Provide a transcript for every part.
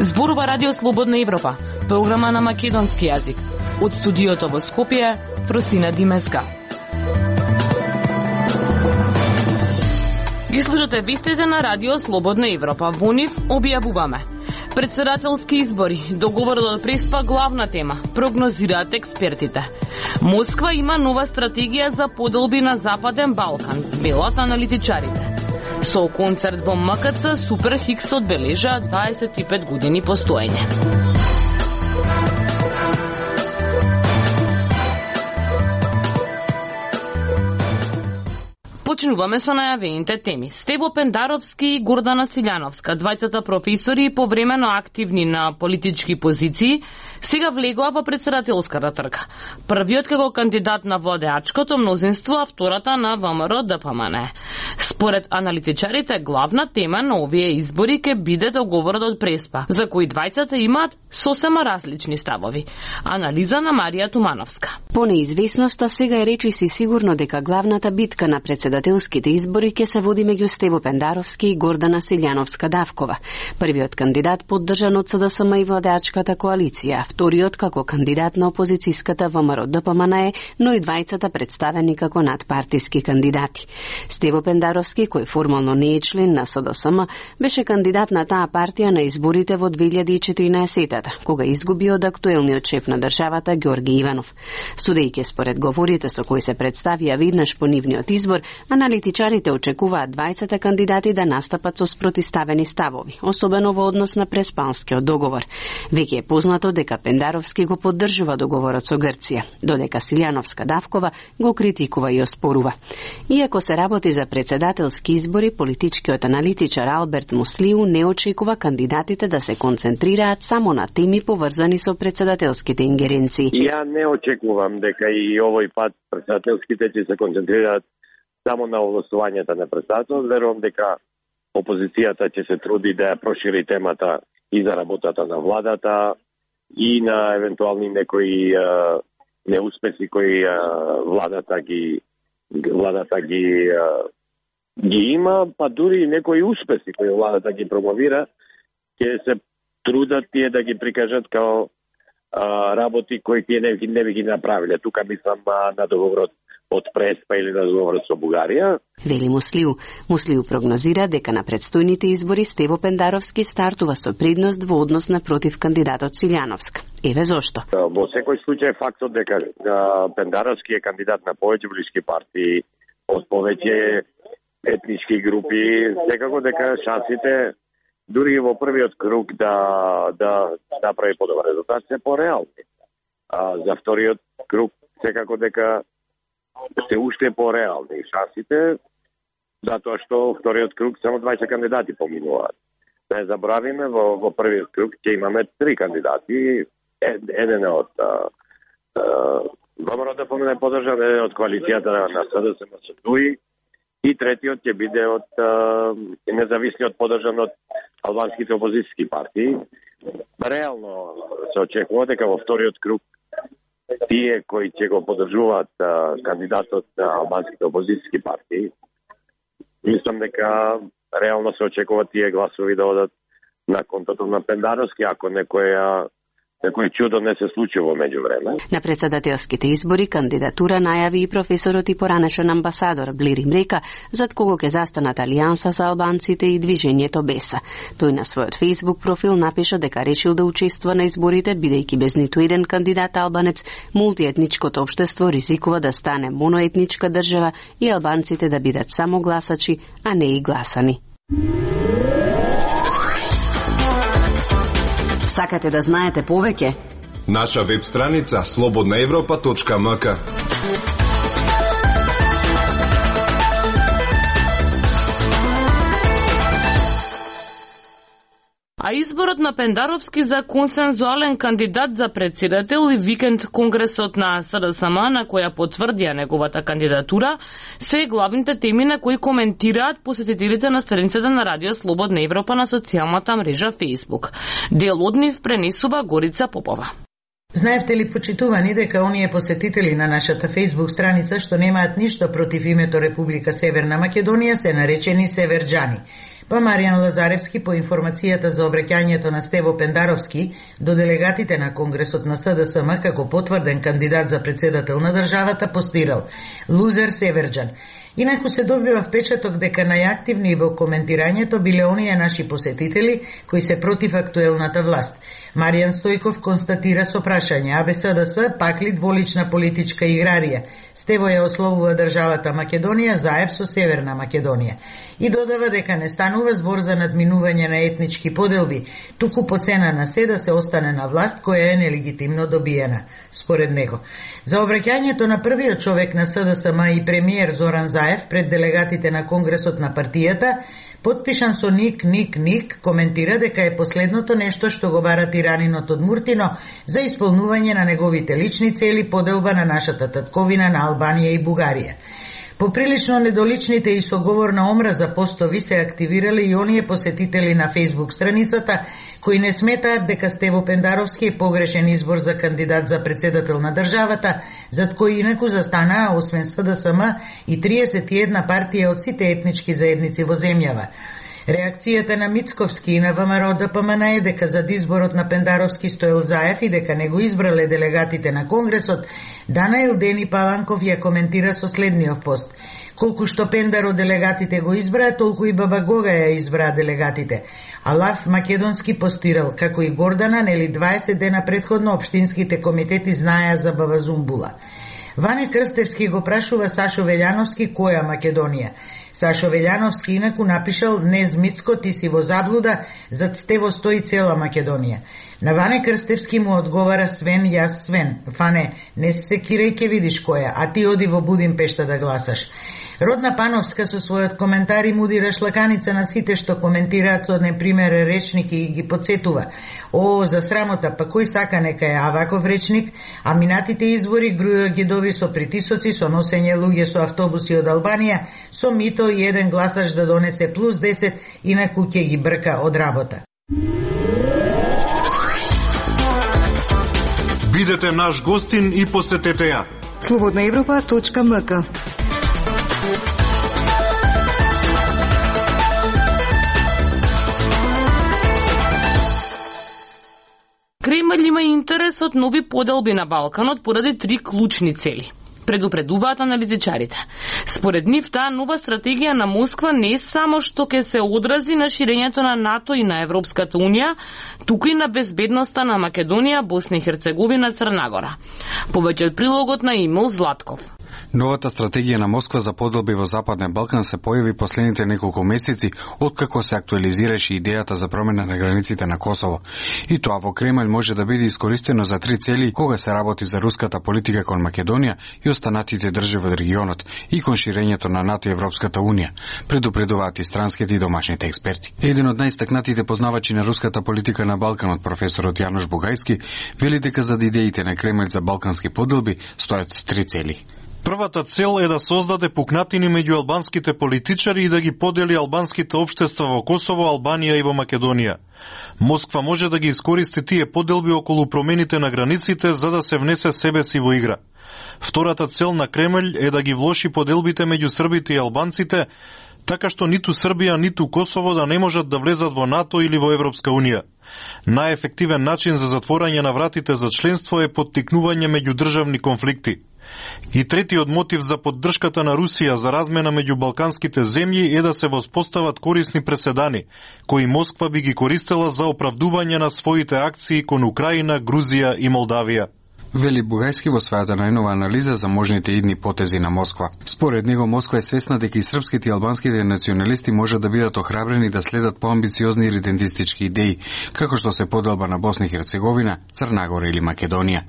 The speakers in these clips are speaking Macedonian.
Зборува Радио Слободна Европа, програма на македонски јазик. Од студиото во Скопје, Просина Димеска. Ги слушате вестите на Радио Слободна Европа. Во нив објавуваме: председателски избори, договорот од Преспа главна тема, прогнозираат експертите. Москва има нова стратегија за поделби на Западен Балкан, велат аналитичарите. Со концерт во МКЦ, Супер Хикс одбележа 25 години постоење. Почнуваме со најавените теми. Стево Пендаровски и Гордана Силјановска, двајцата професори повремено активни на политички позиции, сега влегоа во председателската трка. Првиот како кандидат на владеачкото мнозинство, а втората на ВМРО ДПМН. Според аналитичарите, главна тема на овие избори ќе биде договорот од Преспа, за кој двајцата имаат сосема различни ставови. Анализа на Марија Тумановска. По неизвестноста сега е речиси сигурно дека главната битка на председателските избори ќе се води меѓу Стево Пендаровски и Гордана Силјановска-Давкова. Првиот кандидат поддржан од СДСМ и владеачката коалиција, вториот како кандидат на опозицијската ВМРО ДПМН, но и двајцата представени како надпартиски кандидати. Стево Пендаровски, кој формално не е член на СДСМ, беше кандидат на таа партија на изборите во 2014-та, кога изгуби од актуелниот шеф на државата Ѓорги Иванов. Судејќи според говорите со кои се представија веднаш по нивниот избор, аналитичарите очекуваат двајцата кандидати да настапат со спротиставени ставови, особено во однос на Преспанскиот договор. Веќе е познато дека Пендаровски го поддржува договорот со Грција, додека Силјановска-Давкова го критикува и оспорува. Иако се работи за председателски избори, политичкиот аналитичар Алберт Муслиу не очекува кандидатите да се концентрираат само на теми поврзани со председателските ингеренции. Ја не очекувам дека и овој пат председателските ќе се концентрираат само на овластувањата на председател. Верувам дека опозицијата ќе се труди да ја прошири темата и за работата на владата и на евентуални некои неуспеси кои владата ги има, па дури и некои успеси кои владата ги промовира, ќе се трудат тие да ги прикажат као работи кои тие не би ги направиле. Тука мислам на договорот од Преспа или на договорот со Бугарија. Вели Муслиу. Муслиу прогнозира дека на предстојните избори Стево Пендаровски стартува со предност во однос на против кандидатот Силјановска. Еве зошто. Во секој случај фактот дека Пендаровски е кандидат на повеќе политички партии од повеќе етнички групи, секако дека шансите дури во првиот круг да направи подобар резултат се пореални. За вториот круг секако дека се уште пореални шансите, затоа што вториот круг само 20 кандидати поминуваат. Не забравиме, во првиот круг ќе имаме 3 кандидати, еден од ВМРО ДПМН поддржан, еден од коалицијата на СДСМ со ДУИ, и третиот ќе биде од независниот поддржан од албанските опозицијски партии. Реално се очекува дека во вториот круг тие кои ќе го поддржуваат кандидатот на албанските опозицијски партии, мислам дека реално се очекува тие гласови да одат на контото на Пендаровски, ако некој чудо не се случи во меѓувреме. На председателските избори кандидатура најави и професорот и поранешен амбасадор Блири Мрека, зад кого ќе застанат Алијанса за албанците и движењето Беса. Тој на својот Facebook профил напиша дека решил да учествува на изборите, бидејќи без ниту еден кандидат албанец, мултиетничкото општество ризикува да стане моноетничка држава и албанците да бидат само гласачи, а не и гласани. Сакате да знаете повеќе? Наша веб страница slobodnaevropa.mk. А изборот на Пендаровски за консензуален кандидат за председател и викенд конгресот на СДСМ на која потврдија неговата кандидатура се главните теми на кои коментираат посетителите на страницата на Радио Слободна Европа на социјалната мрежа Facebook. Дел од нив пренесува Горица Попова. Знаевте ли, почитувани, дека оние посетители на нашата Facebook страница што немаат ништо против името Република Северна Македонија се наречени северџани. Па Маријан Лазаревски по информацијата за обраќањето на Стево Пендаровски до делегатите на Конгресот на СДСМ како потврден кандидат за председател на државата постирал лузер северџан. Инаку се добива впечаток дека најактивни во коментирањето биле оние наши посетители кои се против актуелната власт. Маријан Стојков констатира со прашање: абе СДС пак ли дволична политичка играрија? Стево ја ословува државата Македонија заев со Северна Македонија. И додава дека не станува збор за надминување на етнички поделби, туку по цена на се да се остане на власт која е нелегитимно добиена, според него. За обраќањето на првиот човек на СДСМ и премиер Зоран Заев пред делегатите на Конгресот на партијата, потпишан со ник, коментира дека е последното нешто што го бара тиранинот од Муртино за исполнување на неговите лични цели, поделба на нашата татковина на Албанија и Бугарија. Поприлично недоличните и со говор на омраза постови се активирали и оние посетители на Facebook страницата кои не сметаат дека Стево Пендаровски е погрешен избор за кандидат за председател на државата, зад кој инаку застанаа освен СДСМ и 31 партија од сите етнички заедници во земјава. Реакцијата на Мицковски и на ВМРО ДПМН е дека зад изборот на Пендаровски стоел Заев и дека не го избрале делегатите на Конгресот. Данаил Дени Паланков ја коментира со следниот пост: колку што Пендар од делегатите го избраа, толку и Баба Гога ја избраа делегатите. А Лав Македонски постирал, како и Гордана, нели 20 дена предходно општинските комитети знаеа за Баба Зумбула. Ване Крстевски го прашува Сашо Велјановски која Македонија. Сашо Велјановски инаку напишал: не Змицко, ти си во заблуда, зад Стево стои цела Македонија. На Ване Крстевски му одговара: Свен, јас Свен. Фане, не се секирај, ке видиш која, а ти оди во Будимпешта да гласаш. Родна Пановска со својот коментар им удира шлаканица на сите што коментираат со непримерен речник и ги подсетува: о, за срамота, па кој сака нека е аваков речник, а минатите избори грујо ги дови со притисоци, со носење луѓе со автобуси од Албанија, со мито и еден гласач да донесе плюс 10, инаку ќе ги брка од работа. Бидете наш гостин и посетете ја. Slobodnaevropa.mk. Кремљ има интерес од нови поделби на Балканот поради 3 клучни цели, предупредуваат аналитичарите. Според нив, таа нова стратегија на Москва не само што ќе се одрази на ширењето на НАТО и на Европската Унија, туку и на безбедноста на Македонија, Босна и Херцеговина, Црна Гора. Повеќе од прилогот на Емил Златков. Новата стратегија на Москва за поделби во Западен Балкан се појави последните неколку месеци откако се актуализираше идејата за промена на границите на Косово. И тоа во Кремљ може да биде искористено за 3 цели кога се работи за руската политика кон Македонија и останатите држави од регионот и кон ширењето на НАТО и Европската Унија, предупредуваат и странските и домашните експерти. Еден од најстакнатите познавачи на руската политика на Балканот, професорот Јанош Бугајски, вели дека зад идеите на Кремљ за балкански поделби стојат 3 цели. Првата цел е да создаде пукнатини меѓу албанските политичари и да ги подели албанските општества во Косово, Албанија и во Македонија. Москва може да ги искористи тие поделби околу промените на границите за да се внесе себе си во игра. Втората цел на Кремљ е да ги влоши поделбите меѓу србите и албанците, така што ниту Србија, ниту Косово да не можат да влезат во НАТО или во Европска Унија. Најефективен начин за затворање на вратите за членство е поттикнување меѓудржавни конфликти. И третиот мотив за поддршката на Русија за размена меѓу балканските земји е да се воспостават корисни преседани, кои Москва би ги користела за оправдување на своите акции кон Украина, Грузија и Молдавија. Вели Бугајски во својата најнова анализа за можните идни потези на Москва. Според него, Москва е свесна дека и српските и албанските националисти може да бидат охрабрени да следат поамбициозни идентистички идеи, како што се поделба на Босна и Херцеговина, Црна Гора или Македонија.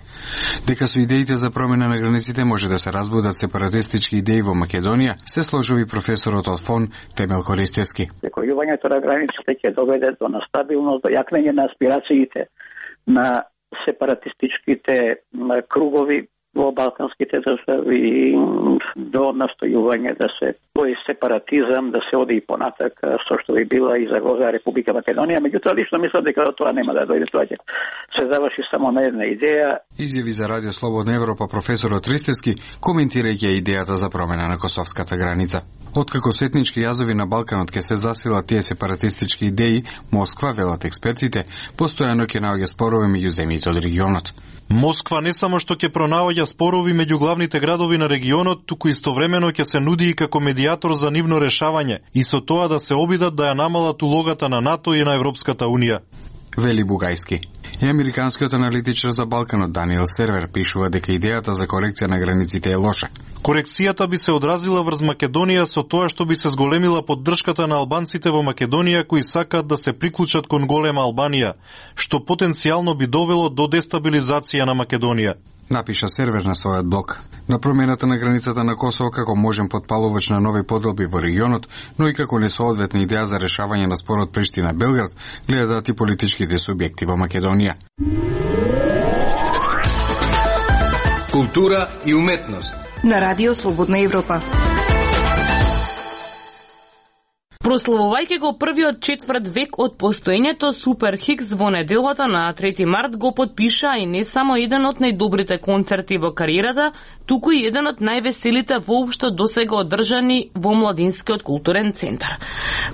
Дека со идеите за промена на границите може да се разбудат сепаратистички идеи во Македонија, се сложи професорот од ФОН Темел Користевски. Прекојувањето на границите ќе доведе до настабилност, до јакнење на аспирациите на сепаратистичките кругови во во балканските држави, до настојување да се тој сепаратизам, да се оди и понатак, со што би била и загроза Република Македонија. Меѓутоа, лично мислам дека тоа нема да дојде, тоа ќе се заврши само на една идеја. Изјави за Радио Слободна Европа професорот Ристевски, коментирајќи идејата за промена на косовската граница. Откако со етнички јазови на Балканот ќе се засилат тие сепаратистички идеи, Москва, велат експертите, постојано ќе наоѓа спорови меѓу земјите од регионот. Москва не само што ќе пронаоѓа спорови меѓу главните градови на регионот, туку истовремено ќе се нуди и како медијатор за нивно решавање и со тоа да се обидат да ја намалат улогата на НАТО и на Европската Унија. Вели Бугајски. И американскиот аналитичар за Балканот Даниел Сервер пишува дека идејата за корекција на границите е лоша. Корекцијата би се одразила врз Македонија со тоа што би се зголемила поддршката на албанците во Македонија кои сакаат да се приклучат кон голема Албанија, што потенцијално би довело до дестабилизација на Македонија. Напиша Сервер на својот блог. На промената на границата на Косово како можен потпалувач на нови поделби во регионот, но и како несоодветна идеја за решавање на спорот Приштина-Белград, гледаат и политичките субјекти во Македонија. Култура и уметност на Радио Слободна Европа. Прославувајќи го првиот четврт век од постоењето, Супер Хикс во неделата на 3 март го подпиша и не само еден од најдобрите концерти во кариерата, туку и еден од највеселите воопшто досега одржани во Младинскиот културен центар.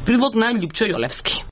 Прилог на Љупчо Јолевски.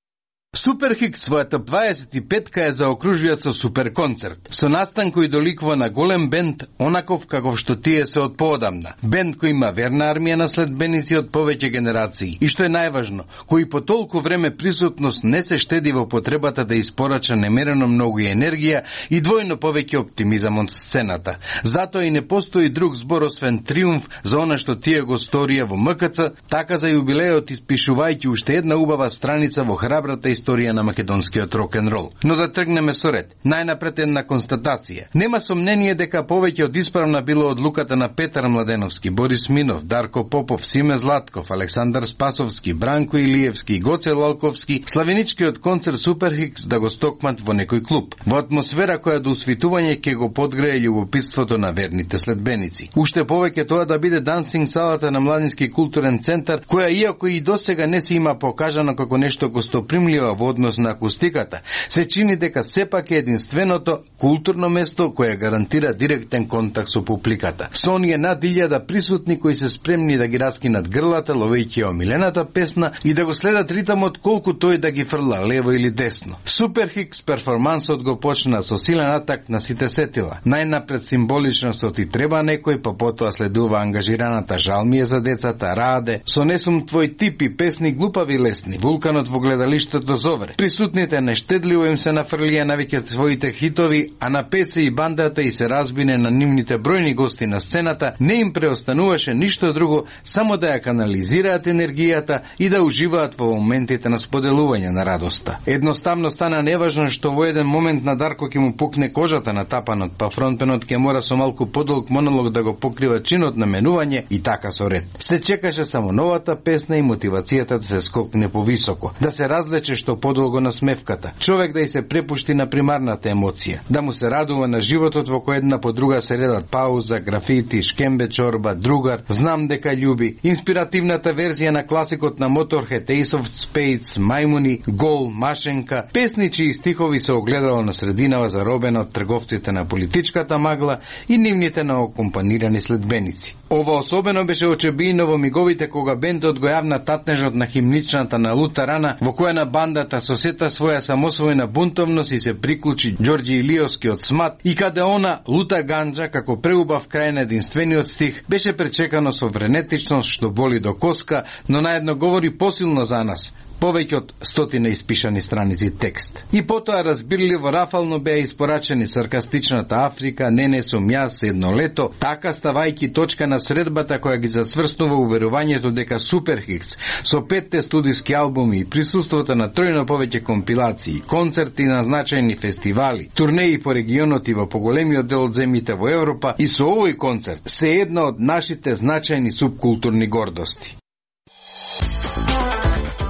Супер Хикс својата 25-ка е заокружија со супер концерт, со настан кој доликува на голем бенд, онаков каков што тие се од поодамна. Бенд кој има верна армија на следбеници од повеќе генерации и што е најважно, кој по толку време присутност не се штеди во потребата да испорача немерено многу енергија и двојно повеќе оптимизам од сцената. Затоа и не постои друг збор освен триумф за она што тие го сторија во МКЦ, така за јубилеот испишувајќи уште една убава страница во храбрата историја на македонскиот рок-н-рол. Но да тргнеме со ред. Најнапред една констатација. Нема сомнение дека повеќе од исправна било одлуката на Петар Младеновски, Борис Минов, Дарко Попов, Симе Златков, Александар Спасовски, Бранко Илиевски, Гоце Лалковски, славеничкиот концерт Супер Хикс да го стокмат во некој клуб. Во атмосфера која до усвитување ќе го подгрее љубопитството на верните следбеници. Уште повеќе тоа да биде дансинг салата на Младински културен центар, која иако и досега не се има покажано како нешто гостопримливо во однос на акустиката, се чини дека сепак е единственото културно место кое гарантира директен контакт со публиката. Со оние над 1000 присутни кои се спремни да ги раскинат грлата, ловејќи омилената песна и да го следат ритмот колку тој да ги фрла лево или десно. Супер Хикс перформансот го почна со силен атак на сите сетила. Најнапред символичноста и треба некој, па потоа следува ангажираната Жал ми е за децата, Раде, со Не сум твој тип и песни глупави лесни, Вулканот во гледалиштето Зовре. Присутните нештедливо им се нафрлија навеќе своите хитови, а на Пеце и бандата и се разбине на нивните бројни гости на сцената, не им преостануваше ништо друго, само да ја канализираат енергијата и да уживаат во моментите на споделување на радоста. Едноставно стана неважно што во еден момент на Дарко ќе му пукне кожата на тапанот, па фронтпенот ќе мора со малку подолг монолог да го покрива чинот на менување и така со ред. Се чекаше само новата песна и мотивацијата да се скокне повисоко, да се разлече што подолго на смевката, човек да и се препушти на примарната емоција, да му се радува на животот во кој една по друга се редат пауза, графити, шкембе чорба, другар, знам дека љуби, инспиративната верзија на класикот на Motorhead, Ace of Spades, Мајмуни, Гол, Машенка, песни чии стихови се огледало на срединава заробена од трговците на политичката магла и нивните на окомпанирани следбеници. Ова особено беше очебино во миговите кога бендот го јавна татнежот на химничната на Лута Рана, во која на бандата со сета своја самосвојна бунтовност и се приклучи Ѓорѓи Илиовски од Смат и каде она Лута Ганџа како преубав крај на единствениот стих беше пречекано со вренетичност што боли до коска, но наедно говори посилно за нас. Повеќе од 100 испишани страници текст. И потоа разбирливо рафално беа испорачени саркастичната Африка, Не сум јас, Едно лето, така ставајќи точка на средбата која ги зацврснува уверувањето дека Супер Хикс со 5 студиски албуми и присуството на тројно повеќе компилации, концерти на значајни фестивали, турнеи по регионот и во поголемиот дел од земјите во Европа и со овој концерт се една од нашите значајни субкултурни гордости.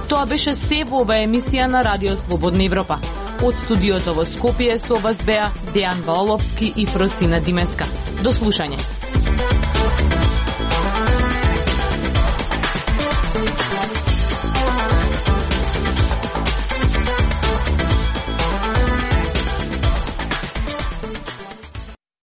Тоа беше се во оваа емисија на Радио Слободна Европа. Од студиото во Скопје со вас беа Дејан Валовски и Фросина Димеска. До слушање.